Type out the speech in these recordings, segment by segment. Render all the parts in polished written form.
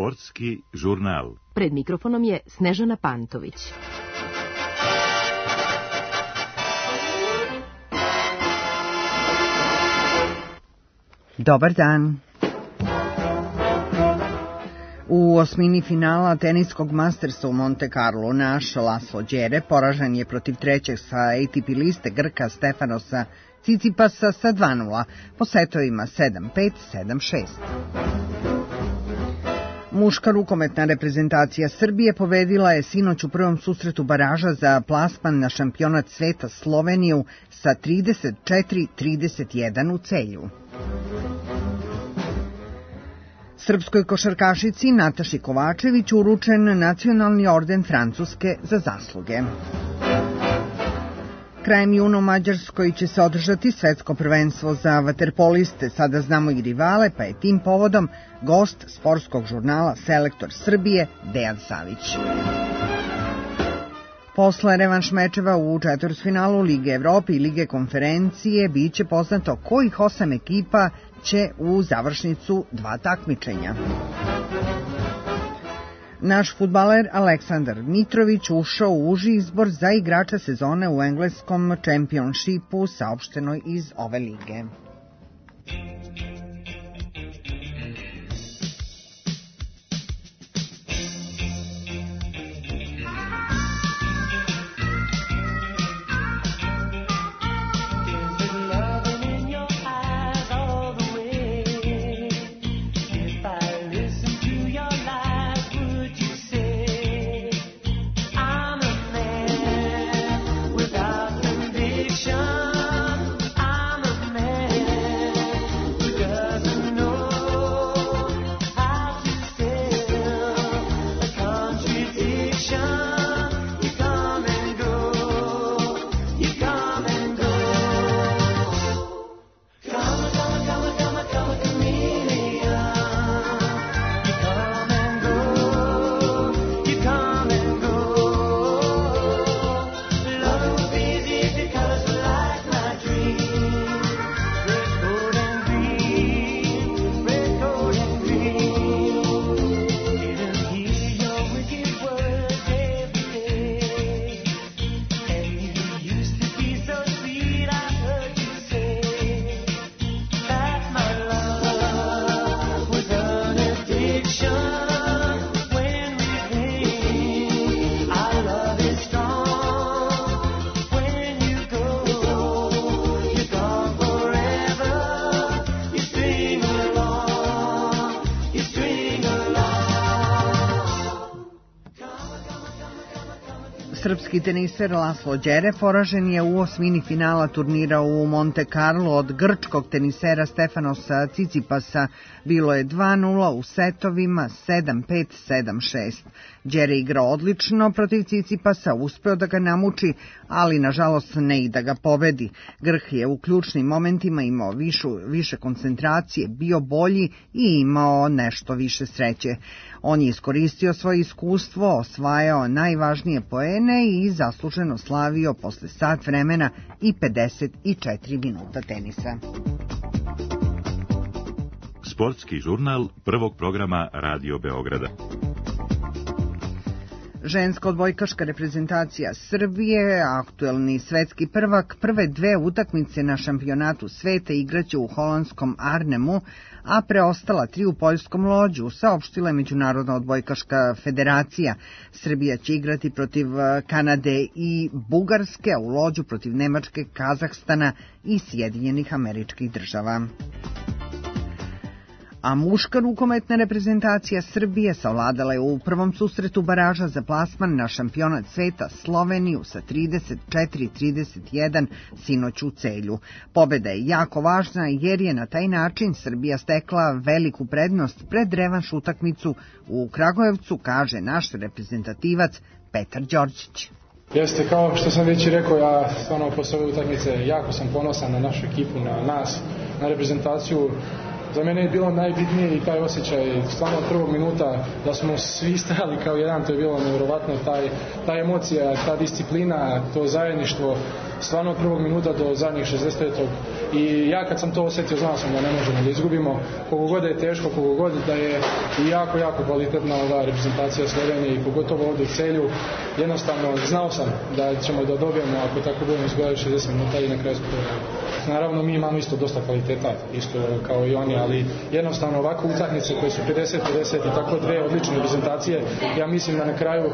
Sportski žurnal. Pred mikrofonom je Snežana Pantović. Dobar dan. U osmini finala teniskog Mastersa u Monte Carlo naš Laslo Đere poražen je protiv trećeg sa ATP liste Grka Stefanosa Cicipasa sa 2:0 po setovima 7-5, 7-6. Muška rukometna reprezentacija Srbije pobedila je sinoć u prvom susretu baraža za plasman na šampionat sveta Sloveniju sa 34-31 u Celju. Srpskoj košarkašici Nataši Kovačević uručen nacionalni orden Francuske za zasluge. Krajem juna u Mađarskoj će se održati svetsko prvenstvo za vaterpoliste, sada znamo i rivale, pa je tim povodom gost sportskog žurnala Selektor Srbije Dejan Savić. Posle revanš mečeva u četvrtfinalu Lige Evrope i Lige konferencije biće poznato kojih 8 ekipa će u završnicu 2 takmičenja. Naš fudbaler Aleksandar Mitrović ušao u uži izbor za igrača sezone u engleskom Championshipu, saopšteno iz ove lige. Srpski teniser Laslo Đere poražen je u osmini finala turnira u Monte Carlo od grčkog tenisera Stefanosa Cicipasa. Bilo je 2:0 u setovima 7-5, 7-6. Đere igrao odlično protiv Cicipasa, uspeo da ga namuči, ali nažalost ne i da ga pobedi. Grk je u ključnim momentima imao više koncentracije, bio bolji i imao nešto više sreće. On je iskoristio svoje iskustvo, osvajao najvažnije poene i zasluženo slavio posle sat vremena i 54 minuta tenisa. Sportski žurnal prvog programa Radio Beograda. Ženska odbojkaška reprezentacija Srbije, aktuelni svetski prvak, prve 2 utakmice na šampionatu sveta igraće u holandskom Arnhemu, a preostala 3 u poljskom Lođu, saopštila je Međunarodna odbojkaška federacija. Srbija će igrati protiv Kanade i Bugarske, a u Lođu protiv Nemačke, Kazahstana i Sjedinjenih Američkih Država. A muška rukometna reprezentacija Srbije savladala je u prvom susretu baraža za plasman na šampionat sveta Sloveniju sa 34-31 sinoć u Celju. Pobeda je jako važna jer je na taj način Srbija stekla veliku prednost pred revanš utakmicu u Kragujevcu, kaže naš reprezentativac Petar Đorđić. Jeste, kao što sam već rekao, ja stvarno posle ove utakmice jako sam ponosan na našu ekipu, na nas, na reprezentaciju. za mene je bilo najbitnije i taj osjećaj stvarno od prvog minuta da smo svi stali kao jedan, to je bilo nevjerovatno, ta emocija, ta disciplina, to zajedništvo, stvarno od prvog minuta do zadnjih 65. I ja kad sam to osjetio, znao sam da ne možemo da izgubimo, koliko god je teško, koliko god da je i jako kvalitetna ova reprezentacija Slovenije i pogotovo ovdje u Celju, jednostavno znao sam da ćemo da dobijemo ako tako budemo izgledali 60 minuta i na kraju naravno mi imamo isto dosta kvaliteta, isto kao i oni, ali jednostavno ovakve utakmice koje su 50-50 i tako dve odlične reprezentacije, ja mislim da na kraju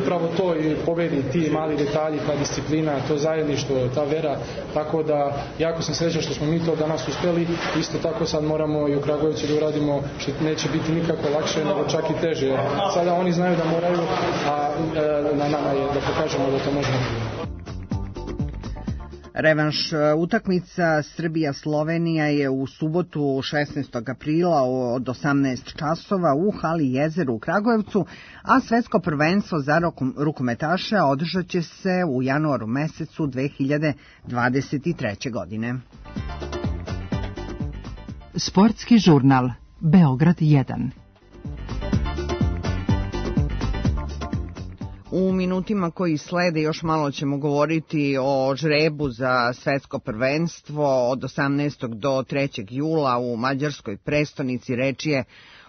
upravo to i pobedi ti mali detalji, ta disciplina, to zajedništvo, ta vera, tako da jako sam srećan što smo mi to danas uspjeli, isto tako sad moramo i u Kragujevcu da uradimo što neće biti nikako lakše, nego čak i teže. Sada oni znaju da moraju, a na nama je da pokažemo da to možemo. Revanš utakmica Srbija-Slovenija je u subotu 16. aprila od 18 časova u hali Jezeru u Kragujevcu, a svetsko prvenstvo za rukometaše održat će se u januaru mesecu 2023. godine. Sportski žurnal Beograd 1. U minutima koji slede još malo ćemo govoriti o žrebu za svetsko prvenstvo od 18. do 3. jula u mađarskoj prestonici. Reč je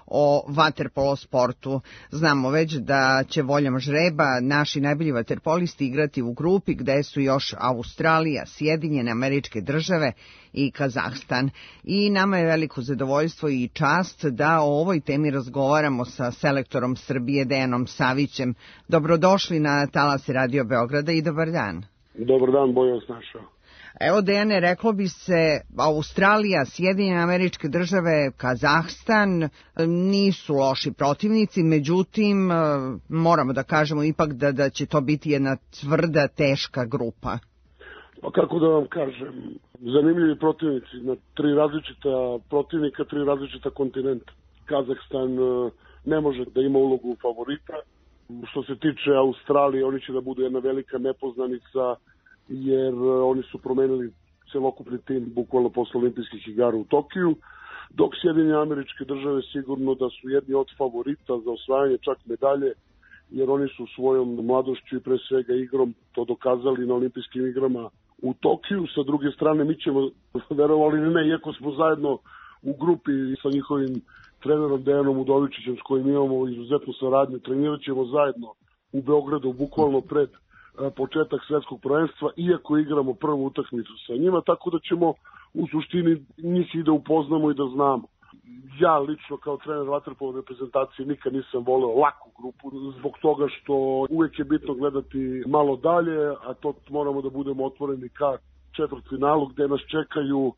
o vaterpolo sportu. Znamo već da će voljom žreba naši najbolji vaterpolisti igrati u grupi gde su još Australija, Sjedinjene Američke Države i Kazahstan. I nama je veliko zadovoljstvo i čast da o ovoj temi razgovaramo sa selektorom Srbije Dejanom Savićem. Dobrodošli na talase Radio Beograda i dobar dan. Dobar dan, bolje vas našao. Evo, Dejane, reklo bi se Australija, Sjedinjene Američke Države, Kazahstan nisu loši protivnici, međutim moramo da kažemo ipak da će to biti jedna tvrda, teška grupa. Pa kako da vam kažem, zanimljivi protivnici, na tri različita protivnika, tri različita kontinenta. Kazahstan ne može da ima ulogu favorita. Što se tiče Australije, oni će da budu jedna velika nepoznanica, jer oni su promenili celokupni tim bukvalno posle olimpijskih igara u Tokiju, dok Sjedinjene Američke Države sigurno da su jedni od favorita za osvajanje čak medalje, jer oni su svojom mladošću i pre svega igrom to dokazali na olimpijskim igrama u Tokiju. Sa druge strane, mi ćemo, verovali ili ne, iako smo zajedno u grupi sa njihovim trenerom Dejanom Udovičićem, s kojim imamo izuzetnu saradnju, trenirat ćemo zajedno u Beogradu, bukvalno pred početak svetskog prvenstva, iako igramo prvu utakmicu sa njima, tako da ćemo u suštini njih i da upoznamo i da znamo. Ja lično kao trener vaterpolo reprezentacije nikad nisam voleo laku grupu, zbog toga što uvek je bitno gledati malo dalje, a to moramo da budemo otvoreni ka četvrtfinalu gde nas čekaju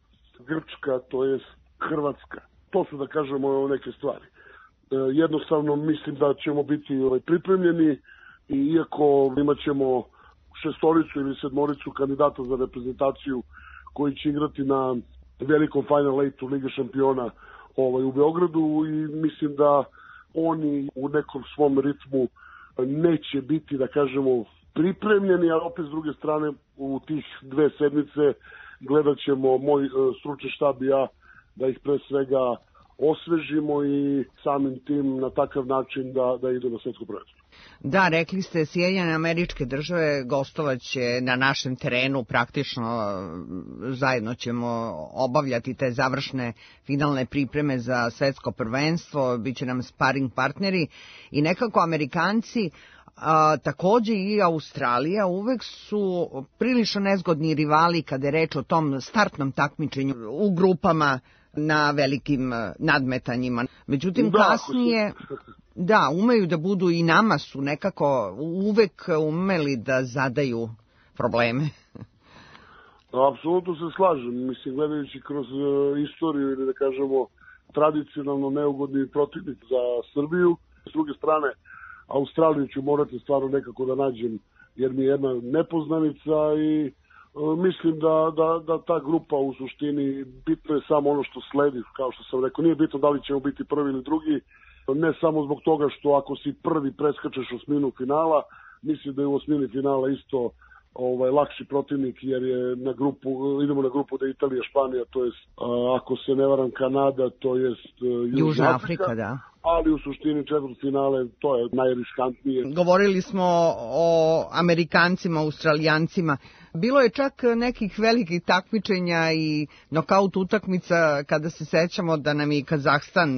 Grčka, to jest Hrvatska. To su, da kažemo, neke stvari. Jednostavno mislim da ćemo biti pripremljeni, i iako imat ćemo šestoricu ili sedmoricu kandidata za reprezentaciju koji će igrati na velikom Final 8 Lige šampiona u Beogradu, i mislim da oni u nekom svom ritmu neće biti, da kažemo, pripremljeni, a opet s druge strane u tih 2 sedmice gledat ćemo moj stručni štab i ja da ih pre svega osvežimo i samim tim na takav način da idu na svetsko prvenstvo. Da, rekli ste, Sjedinjene Američke Države gostovaće na našem terenu, praktično zajedno ćemo obavljati te završne finalne pripreme za svetsko prvenstvo, bit će nam sparing partneri i nekako Amerikanci, takođe i Australija uvek su prilično nezgodni rivali kada je reč o tom startnom takmičenju u grupama na velikim nadmetanjima. Međutim, kasnije umeju da budu, i nama su nekako uvek umeli da zadaju probleme. Apsolutno se slažem. Mislim, gledajući kroz istoriju ili da kažemo tradicionalno neugodni protivnik za Srbiju. S druge strane, Australiju ću morati stvarno nekako da nađem, jer mi je jedna nepoznanica i mislim da ta grupa u suštini bitno je samo ono što sledi, kao što sam rekao. Nije bitno da li ćemo biti prvi ili drugi, ne samo zbog toga što ako si prvi preskačeš osminu finala, mislim da je u osmini finala isto lakši protivnik, jer je idemo na grupu da je Italija, Španija, to jest ako se ne varam Kanada, to jest Južna Afrika, da. Ali u suštini četvrtfinale to je najriskantnije. Govorili smo o Amerikancima, Australijancima. Bilo je čak nekih velikih takmičenja i nokaut utakmica kada se sećamo da nam je Kazahstan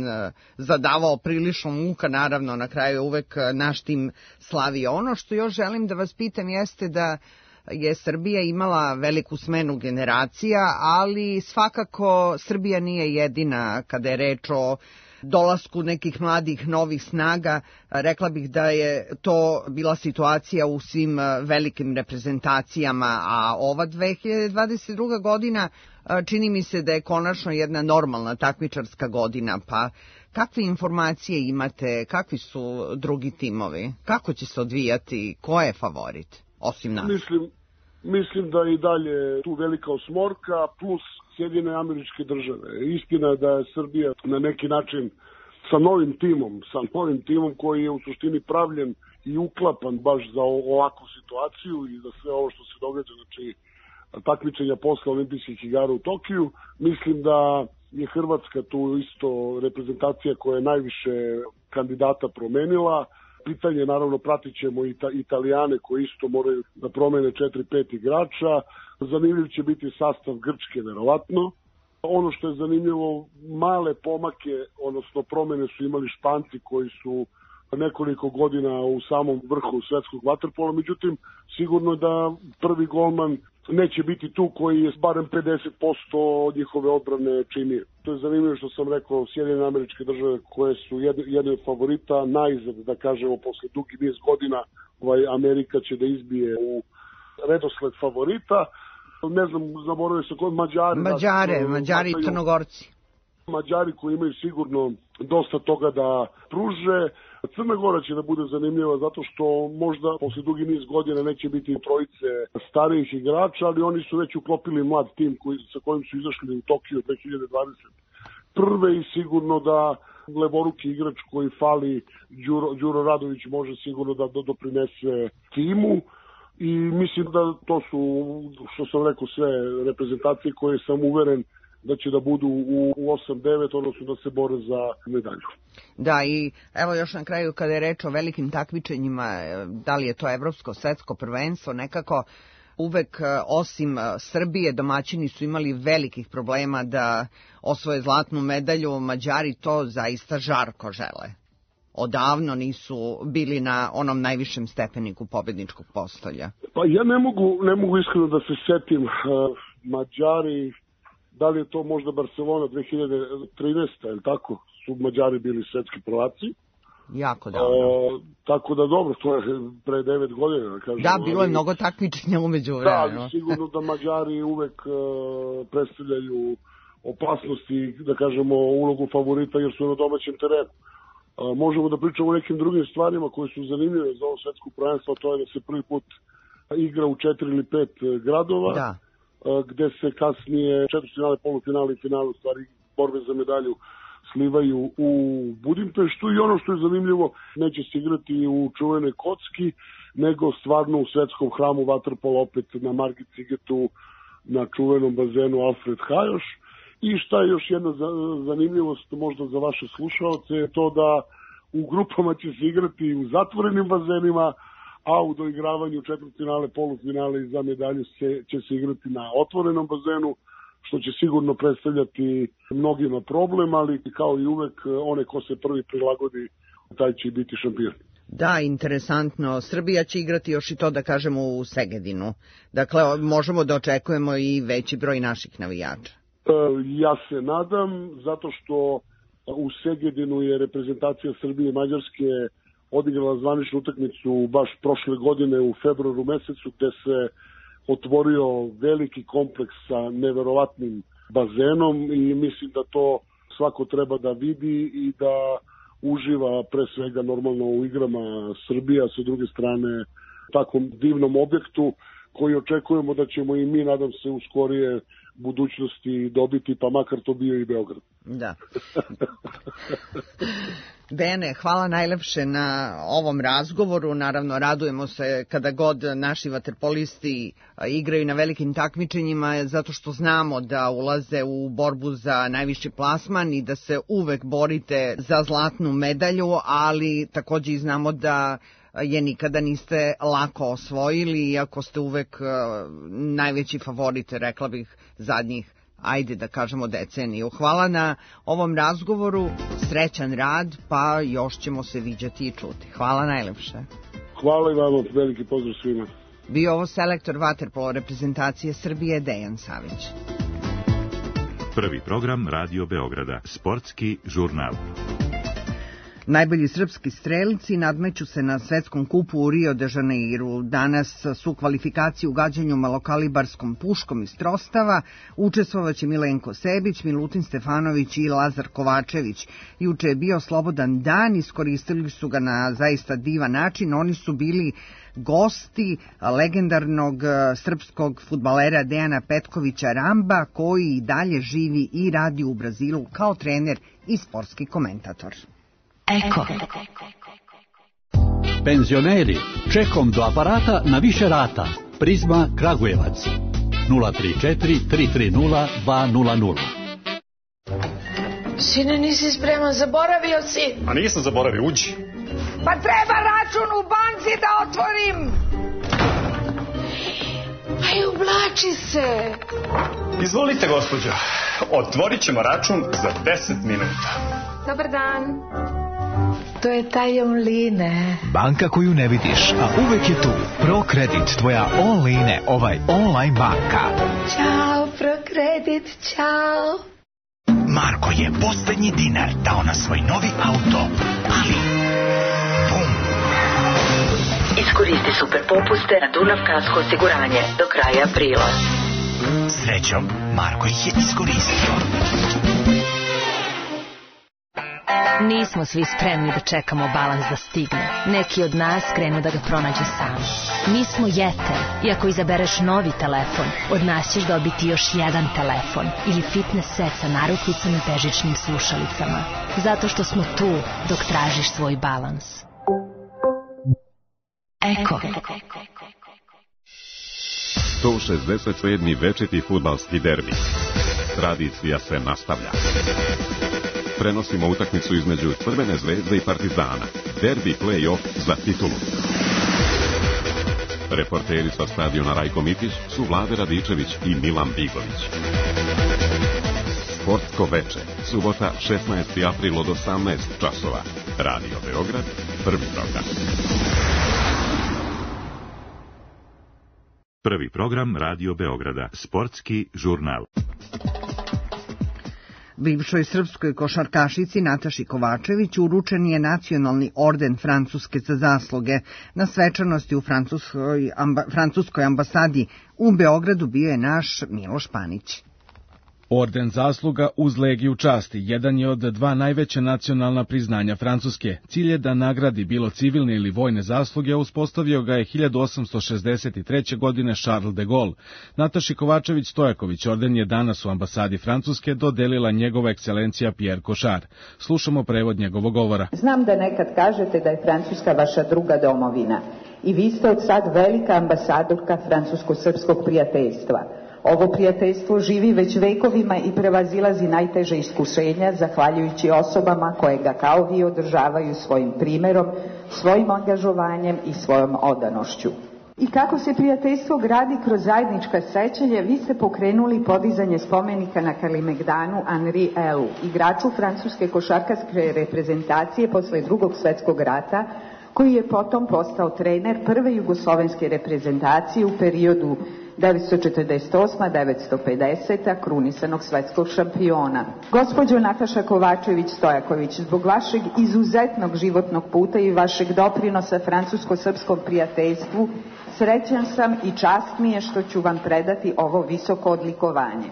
zadavao prilično muka, naravno na kraju je uvek naš tim slavio. Ono što još želim da vas pitam jeste da je Srbija imala veliku smenu generacija, ali svakako Srbija nije jedina kada je reč o dolasku nekih mladih novih snaga. Rekla bih da je to bila situacija u svim velikim reprezentacijama, a ova 2022. godina čini mi se da je konačno jedna normalna takmičarska godina, pa kakve informacije imate, kakvi su drugi timovi, kako će se odvijati, ko je favorit, osim nas? Mislim da je i dalje tu velika osmorka, plus Sjedinjene Američke Države. Istina je da je Srbija na neki način sa novim timom koji je u suštini pravljen i uklapan baš za ovakvu situaciju i za sve ovo što se događa, znači takmičenja posle olimpijskih igara u Tokiju. Mislim da je Hrvatska tu isto reprezentacija koja je najviše kandidata promenila. Pitanje, naravno, pratit ćemo i Italijane koji isto moraju da promene 4-5 igrača. Zanimljiv će biti sastav Grčke, verovatno. Ono što je zanimljivo, male pomake, odnosno promene su imali Španci koji su nekoliko godina u samom vrhu svetskog vaterpola, međutim, sigurno da prvi golman neće biti tu koji je barem 50% od njihove odbrane činio. To je zanimljivo što sam rekao, Sjedinjene Američke Države koje su jedne od favorita, najzad, da kažemo, posle dugi niz godina Amerika će da izbije u redosled favorita. Ne znam, zaboravio se kod Mađari i Crnogorci. Mađari koji imaju sigurno dosta toga da pruže. Crna Gora će da bude zanimljiva zato što možda posle dugi niz godina neće biti trojice starijih igrača, ali oni su već uklopili mlad tim sa kojim su izašli u Tokiju 2021. I sigurno da levoruki igrač koji fali, Đuro Radović, može sigurno da doprinese timu. I mislim da to su, što sam rekao, sve reprezentacije koje sam uveren da će da budu u 8-9, odnosno da se bore za medalju. Da, i evo još na kraju kada je reč o velikim takmičenjima, da li je to evropsko, svetsko prvenstvo, nekako uvek osim Srbije domaćini su imali velikih problema da osvoje zlatnu medalju. Mađari to zaista žarko žele. Odavno nisu bili na onom najvišem stepeniku pobedničkog postolja. Pa ja ne mogu iskreno da se setim. Mađari, da li je to možda Barcelona 2013. ili tako, su Mađari bili svetski prvaci. Jako davno. Tako da dobro, to je pre 9 godina. Da, kažem, da, bilo je mnogo takmičenja umeđu vremenu. Da, ali sigurno da Mađari uvek predstavljaju opasnosti, da kažemo, ulogu favorita jer su na domaćem terenu. Možemo da pričamo o nekim drugim stvarima koje su zanimljive za ovo svetsko prvenstvo, to je da se prvi put igra u 4 ili 5 gradova, da, gde se kasnije četvrtfinale, polufinale i finale, u stvari borbe za medalju, slivaju u Budimpeštu. I ono što je zanimljivo, neće se igrati u čuvenoj Kocki, nego stvarno u svetskom hramu vaterpola, opet na Margit Cigetu, na čuvenom bazenu Alfred Hajoš. I šta je još jedna zanimljivost možda za vaše slušalce je to da u grupama će se igrati u zatvorenim bazenima, a u doigravanju četvrtfinale, polufinale i za medalju će se igrati na otvorenom bazenu, što će sigurno predstavljati mnogima problem, ali kao i uvek one ko se prvi prilagodi, taj će biti šampion. Da, interesantno. Srbija će igrati još i to, da kažemo, u Segedinu. Dakle, možemo da očekujemo i veći broj naših navijača. Ja se nadam, zato što u Segedinu je reprezentacija Srbije i Mađarske odigrala zvaničnu utakmicu baš prošle godine u februaru mesecu, gde se otvorio veliki kompleks sa neverovatnim bazenom i mislim da to svako treba da vidi i da uživa pre svega normalno u igrama Srbija, sa druge strane takvom divnom objektu koji očekujemo da ćemo i mi, nadam se, u skorije budućnosti dobiti, pa makar to bio i Beograd. Da. Dejane, hvala najlepše na ovom razgovoru. Naravno, radujemo se kada god naši vaterpolisti igraju na velikim takmičenjima, zato što znamo da ulaze u borbu za najviši plasman i da se uvek borite za zlatnu medalju, ali takođe i znamo da je nikada niste lako osvojili, iako ste uvek najveći favorit, rekla bih, zadnjih, ajde da kažemo, deceniju. Hvala na ovom razgovoru, srećan rad, pa još ćemo se viđati i čuti. Hvala najlepše. Hvala i vama, veliki pozdrav svima. Bio ovo selektor vaterpolo reprezentacije Srbije Dejan Savić. Prvi program Radio Beograda, sportski žurnal. Najbolji srpski strelci nadmeću se na svetskom kupu u Rio de Janeiru. Danas su kvalifikacije u gađanju malokalibarskom puškom iz Trostava. Učestvovaće Milenko Sebić, Milutin Stefanović i Lazar Kovačević. Juče je bio slobodan dan, iskoristili su ga na zaista divan način. Oni su bili gosti legendarnog srpskog fudbalera Dejana Petkovića Ramba, koji i dalje živi i radi u Brazilu kao trener i sportski komentator. Eko. Penzioneri, čekom do aparata na više rata. Prizma Kragujevac 034 330 200. Sine, nisi spreman, zaboravio si. A nisam zaboravio, uđi. Pa treba račun u banci da otvorim. Aj, oblači se. Izvolite, gospođo. Otvorit ćemo račun za 10 minuta. Dobar dan. To je taj online. Banka koju ne vidiš, a uvek je tu. ProKredit, tvoja online, online banka. Ćao, ProKredit, ćao. Marko je poslednji dinar dao na svoj novi auto, ali bum. Iskoristi super popuste na Dunav Kasko osiguranje do kraja aprila. Srećom, Marko ih je iskoristio. Nismo svi spremni da čekamo balans da stigne. Neki od nas krenu da ga pronađu sami. Mi smo Jeter i ako izabereš novi telefon, od nas ćeš dobiti još jedan telefon ili fitness set sa narukvicama i bežičnim slušalicama. Zato što smo tu dok tražiš svoj balans. Eko. 167. večiti fudbalski derbi. Tradicija se nastavlja. Prenosimo utakmicu između Crvene zvezde i Partizana. Derbi play-off za titulu. Reporteri sa stadiona Rajko Mitić su Vlade Radičević i Milan Bigović. Sportsko veče, subota 16. april od 18 časova. Radio Beograd, prvi program. Prvi program Radio Beograda, sportski žurnal. Bivšoj srpskoj košarkašici Nataši Kovačević uručen je nacionalni orden Francuske za zasluge. Na svečanosti u francuskoj ambasadi u Beogradu bio je naš Miloš Panić. Orden zasluga uz Legiju časti jedan je od dva najveća nacionalna priznanja Francuske. Cilj je da nagradi bilo civilne ili vojne zasluge, a uspostavio ga je 1863. godine Charles de Gaulle. Nataši Kovačević-Stojaković orden je danas u ambasadi Francuske dodelila njegova ekscelencija Pierre Cochard. Slušamo prevod njegovog govora. Znam da nekad kažete da je Francuska vaša druga domovina i vi ste od sad velika ambasadorka francusko-srpskog prijateljstva. Ovo prijateljstvo živi već vekovima i prevazilazi najteže iskušenja zahvaljujući osobama koje ga kao vi održavaju svojim primerom, svojim angažovanjem i svojom odanošću. I kako se prijateljstvo gradi kroz zajednička sećanja, vi ste pokrenuli podizanje spomenika na Kalemegdanu Henri Elu, igraču francuske košarkaške reprezentacije posle Drugog svetskog rata, koji je potom postao trener prve jugoslovenske reprezentacije u periodu 1948-1950, krunisanog svetskog šampiona. Gospođo Nataša Kovačević-Stojaković, zbog vašeg izuzetnog životnog puta i vašeg doprinosa francusko-srpskom prijateljstvu, srećan sam i čast mi je što ću vam predati ovo visoko odlikovanje.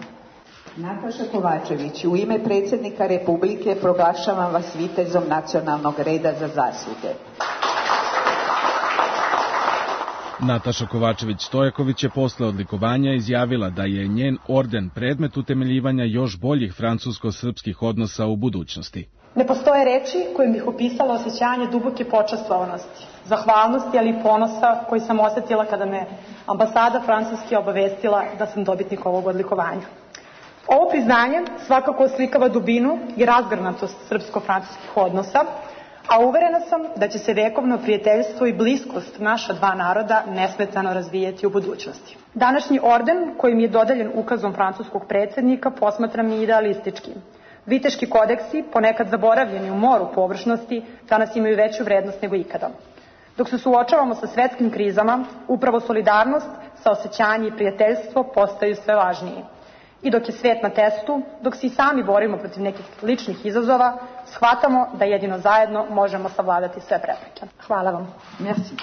Nataša Kovačević, u ime predsjednika Republike proglašavam vas vitezom nacionalnog reda za zasluge. Nataša Kovačević-Stojaković je posle odlikovanja izjavila da je njen orden predmet utemeljivanja još boljih francusko-srpskih odnosa u budućnosti. Ne postoje reči kojim bih opisala osjećanje duboke počastvovanosti, zahvalnosti, ali i ponosa koji sam osjetila kada me ambasada Francuske obavestila da sam dobitnik ovog odlikovanja. Ovo priznanje svakako oslikava dubinu i razgrnatost srpsko-francuskih odnosa, a uverena sam da će se vekovno prijateljstvo i bliskost naša dva naroda nesmetano razvijeti u budućnosti. Današnji orden, koji mi je dodeljen ukazom francuskog predsjednika, posmatram i idealističkim. Viteški kodeksi, ponekad zaboravljeni u moru površnosti, danas imaju veću vrednost nego ikada. Dok se suočavamo sa svetskim krizama, upravo solidarnost, saosećanje i prijateljstvo postaju sve važniji. I dok je svet na testu, dok se i sami borimo protiv nekih ličnih izazova, shvatamo da jedino zajedno možemo savladati sve prepreke. Hvala vam. Merci.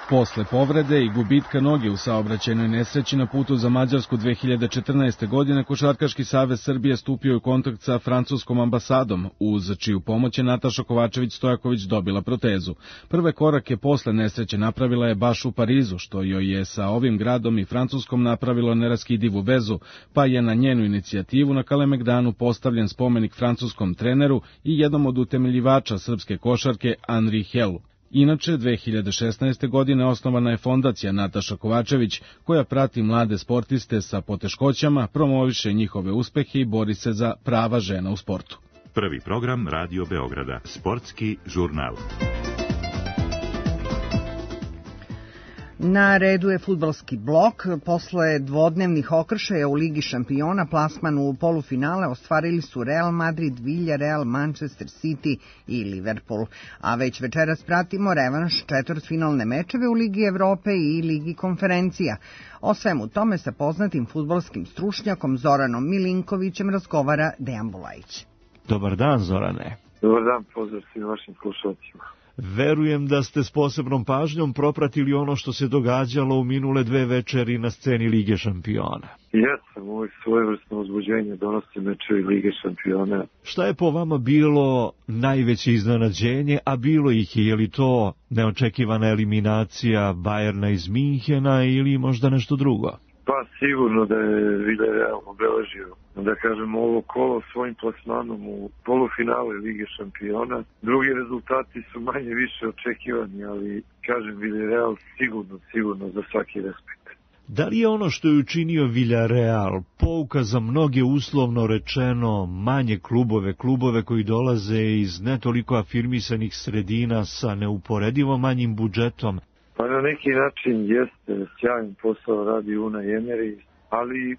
Posle povrede i gubitka noge u saobraćajnoj nesreći na putu za Mađarsku 2014. godine, Košarkaški savez Srbije stupio u kontakt sa francuskom ambasadom, uz čiju pomoć je Nataša Kovačević-Stojaković dobila protezu. Prve korake posle nesreće napravila je baš u Parizu, što joj je sa ovim gradom i Francuskom napravilo neraskidivu vezu, pa je na njenu inicijativu na Kalemegdanu postavljen spomenik francuskom treneru i jednom od utemeljivača srpske košarke Henri Helu. Inače, 2016. godine osnovana je fondacija Nataša Kovačević, koja prati mlade sportiste sa poteškoćama, promoviše njihove uspehe i bori se za prava žena u sportu. Prvi program Radio Beograda, sportski žurnal. Na redu je fudbalski blok. Posle dvodnevnih okršaja u Ligi šampiona plasman u polufinale ostvarili su Real Madrid, Villarreal, Manchester City i Liverpool. A već večeras pratimo revanš četvrtfinalne mečeve u Ligi Evrope i Ligi konferencija. O svemu tome sa poznatim fudbalskim stručnjakom Zoranom Milinkovićem razgovara Dejan Bulajić. Dobar dan, Zorane. Dobar dan, pozdrav svim vašim slušalcima. Verujem da ste s posebnom pažnjom propratili ono što se događalo u minule dve večeri na sceni Lige šampiona. Jesam, ovo je svojevrsno uzbuđenje, donosi mečevi Lige šampiona. Šta je po vama bilo najveće iznenađenje, a bilo ih je li to neočekivana eliminacija Bayerna iz Minhena ili možda nešto drugo? Pa sigurno da je Villarreal obeležio, da kažemo, ovo kolo svojim plasmanom u polufinale Lige šampiona. Drugi rezultati su manje više očekivani, ali kažem Villarreal sigurno za svaki respekt. Da li je ono što je učinio Villarreal pouka za mnoge, uslovno rečeno, manje klubove koji dolaze iz ne toliko afirmisanih sredina sa neuporedivo manjim budžetom? Pa na neki način jeste, sjajan posao radi Unai Emery, ali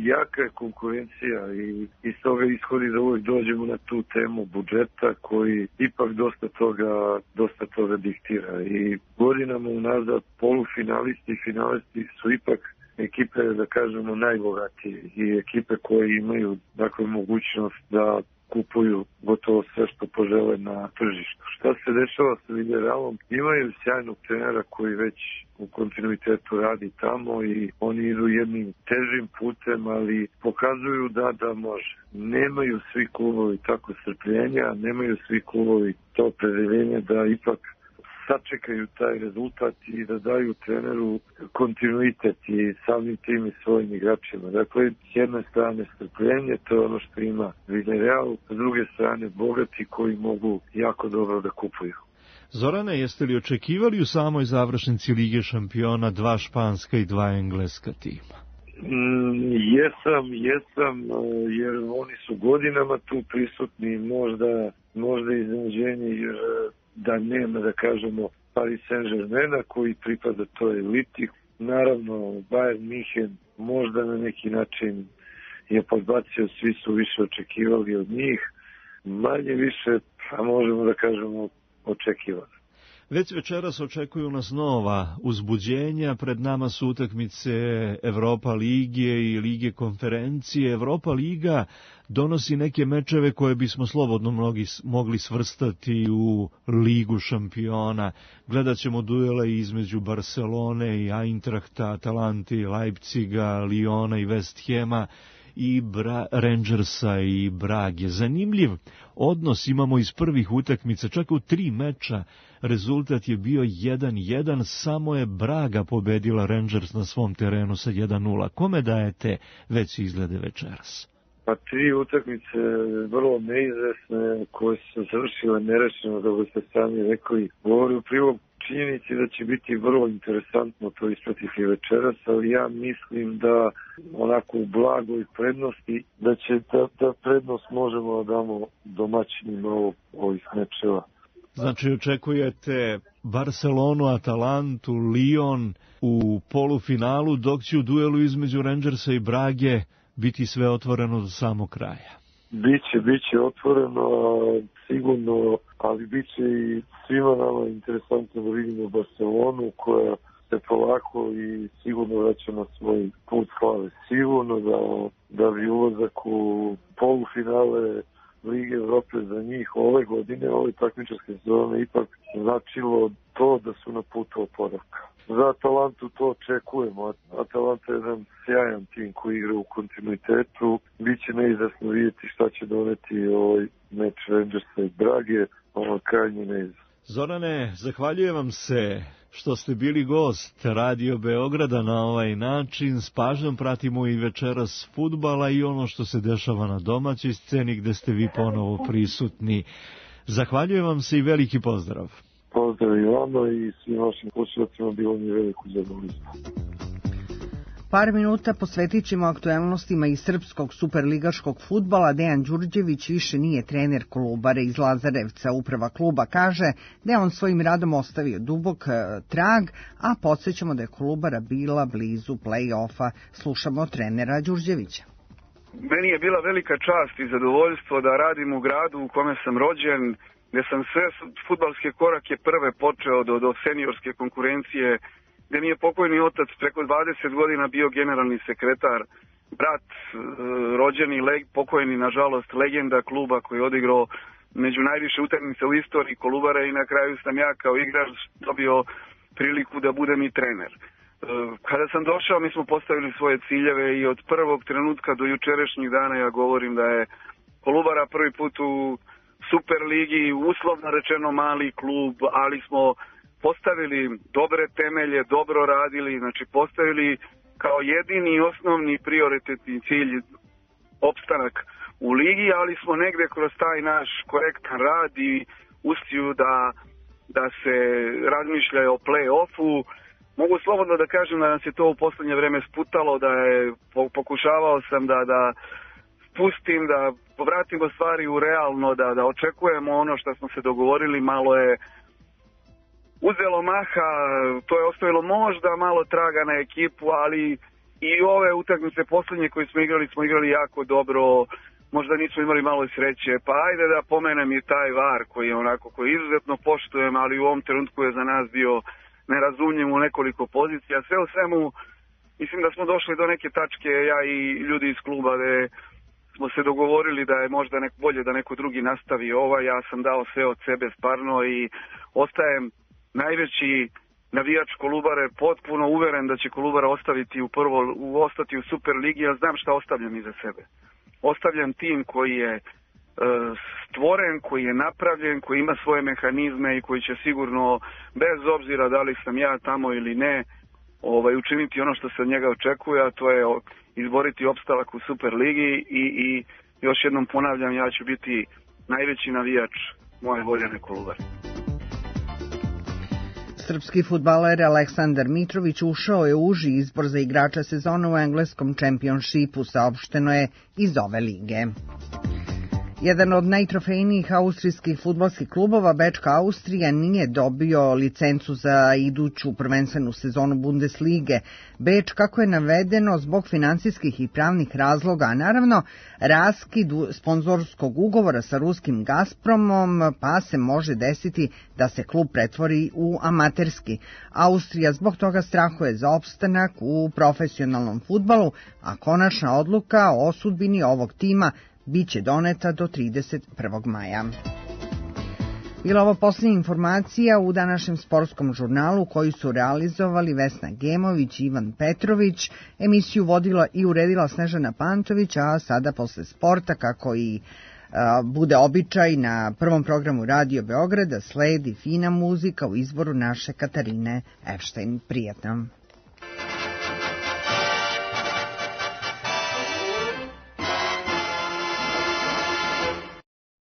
jaka je konkurencija i iz toga ishodi da uvijek dođemo na tu temu budžeta koji ipak dosta toga diktira. I godinama unazad polufinalisti i finalisti su ipak ekipe, da kažemo, najbogatije i ekipe koje imaju mogućnost da kupuju gotovo sve što požele na tržištu. Šta se dešava sa Villarrealom? Imaju sjajnog trenera koji već u kontinuitetu radi tamo i oni idu jednim težim putem, ali pokazuju da može. Nemaju svi klubovi tako strpljenja, nemaju svi klubovi to opredeljenje da ipak sačekaju taj rezultat i da daju treneru kontinuitet i samim tim i svojim igračima. Dakle, s jedne strane strpljenje, to je ono što ima Villarreal, s druge strane bogati koji mogu jako dobro da kupuju. Zorane, jeste li očekivali u samoj završnici Lige šampiona 2 španska i 2 engleska tima? Jesam, jer oni su godinama tu prisutni, možda iznenađenje, jer da nema, da kažemo, Paris Saint-Germaina koji pripada toj eliti. Naravno, Bayern Minhen možda na neki način je podbacio, svi su više očekivali od njih, manje više, a možemo da kažemo, očekivano. Već večeras očekuju nas nova uzbuđenja, pred nama su utakmice Europa Lige i Lige konferencije. Europa Liga donosi neke mečeve koje bismo slobodno mogli svrstati u Ligu šampiona. Gledat ćemo duele između Barcelone i Eintrachta, Atalante, Leipziga, Liona i West Hema. i Rangersa i Brage. Zanimljiv odnos imamo iz prvih utakmica, čak u 3 meča rezultat je bio 1-1, samo je Braga pobedila Rangers na svom terenu sa 1-0. Kome dajete veći izglede večeras? Pa 3 utakmice vrlo neizvesne koje su završile nerešeno, kako ste sami rekli, govori u prilog činjenici da će biti vrlo interesantno to ispratiti večeras, ali ja mislim da onako u blagoj prednosti, da će ta prednost možemo da damo domaćinima ovih mečeva. Znači očekujete Barcelonu, Atalantu, Lyon u polufinalu, dok će u duelu između Rangersa i Brage biti sve otvoreno do samog kraja. Biće otvoreno, sigurno, ali biće i svima nama interesantno da vidimo Barcelonu koja se polako i sigurno vraća na svoj put slave. Sigurno da bi ulazak u polufinale Lige Evrope za njih ove godine, ove takmičarske sezone ipak značilo to da su na putu oporavka. Za Atalantu to očekujemo. Atalanta je jedan sjajan tim koji igra u kontinuitetu. Biće neizvesno vidjeti šta će doneti ovaj meč Rangersa i Brage, krajnje neizvesno. Zorane, zahvaljujem vam se što ste bili gost Radio Beograda na ovaj način. S pažnjom pratimo i večeras fudbala i ono što se dešava na domaćoj sceni gde ste vi ponovo prisutni. Zahvaljujem vam se i veliki pozdrav. Pozdrav i vama i svim vašim slušateljima, bilo mi veliko zadovoljstvo. Par minuta posvetit ćemo aktuelnostima iz srpskog superligaškog fudbala. Dejan Đurđević više nije trener Kolubare iz Lazarevca. Uprava kluba kaže da je on svojim radom ostavio dubok trag, a podsjećamo da je Kolubara bila blizu play-offa. Slušamo trenera Đurđevića. Meni je bila velika čast i zadovoljstvo da radim u gradu u kome sam rođen, gdje sam sve fudbalske korake prve počeo do seniorske konkurencije, gdje mi je pokojni otac preko 20 godina bio generalni sekretar, brat rođeni, pokojni nažalost legenda kluba koji je odigrao među najviše utakmica u istoriji Kolubare i na kraju sam ja kao igrač dobio priliku da budem i trener. Kada sam došao mi smo postavili svoje ciljeve i od prvog trenutka do jučerašnjih dana ja govorim da je Kolubara prvi put u Superligi, uslovno rečeno mali klub, ali smo postavili dobre temelje, dobro radili, znači postavili kao jedini i osnovni prioritetni cilj opstanak u ligi, ali smo negde kroz taj naš korektan rad i uspiju da se razmišlja o play-offu. Mogu slobodno da kažem da nam se to u poslednje vreme sputalo, da je pokušavao sam da spustim, da povratimo stvari u realno, da očekujemo ono što smo se dogovorili, malo je uzelo maha, to je ostavilo možda malo traga na ekipu, ali i ove utakmice poslednje koje smo igrali jako dobro, možda nismo imali malo sreće, pa ajde da pomenem i taj VAR koji je onako, koji izuzetno poštujem, ali u ovom trenutku je za nas bio nerazumljiv u nekoliko pozicija. Sve u svemu, mislim da smo došli do neke tačke, ja i ljudi iz kluba, gde smo se dogovorili da je možda bolje da neko drugi nastavi ja sam dao sve od sebe stvarno i ostajem najveći navijač Kolubare, potpuno uveren da će Kolubara ostati u Superligi, ja znam šta ostavljam iza sebe. Ostavljam tim koji je stvoren, koji je napravljen, koji ima svoje mehanizme i koji će sigurno, bez obzira da li sam ja tamo ili ne, učiniti ono što se od njega očekuje, a to je izboriti opstalak u Superligi i još jednom ponavljam, ja ću biti najveći navijač moje voljene Kolubare. Srpski fudbaler Aleksandar Mitrović ušao je u uži izbor za igrača sezone u engleskom čempionšipu, saopšteno je iz ove lige. Jedan od najtrofejnijih austrijskih fudbalskih klubova, Bečka Austrija, nije dobio licencu za iduću prvenstvenu sezonu Bundeslige. Beč, kako je navedeno, zbog finansijskih i pravnih razloga, a naravno raskid sponzorskog ugovora sa ruskim Gazpromom, pa se može desiti da se klub pretvori u amaterski. Austrija zbog toga strahuje za opstanak u profesionalnom fudbalu, a konačna odluka o sudbini ovog tima biće doneta do 31. maja. Bila ovo posljednja informacija u današnjem sportskom žurnalu koju su realizovali Vesna Gemović i Ivan Petrović. Emisiju vodila i uredila Snežana Pantović, a sada posle sporta, kako i bude običaj na prvom programu Radio Beograda, sledi fina muzika u izboru naše Katarine Epštajn. Prijatno.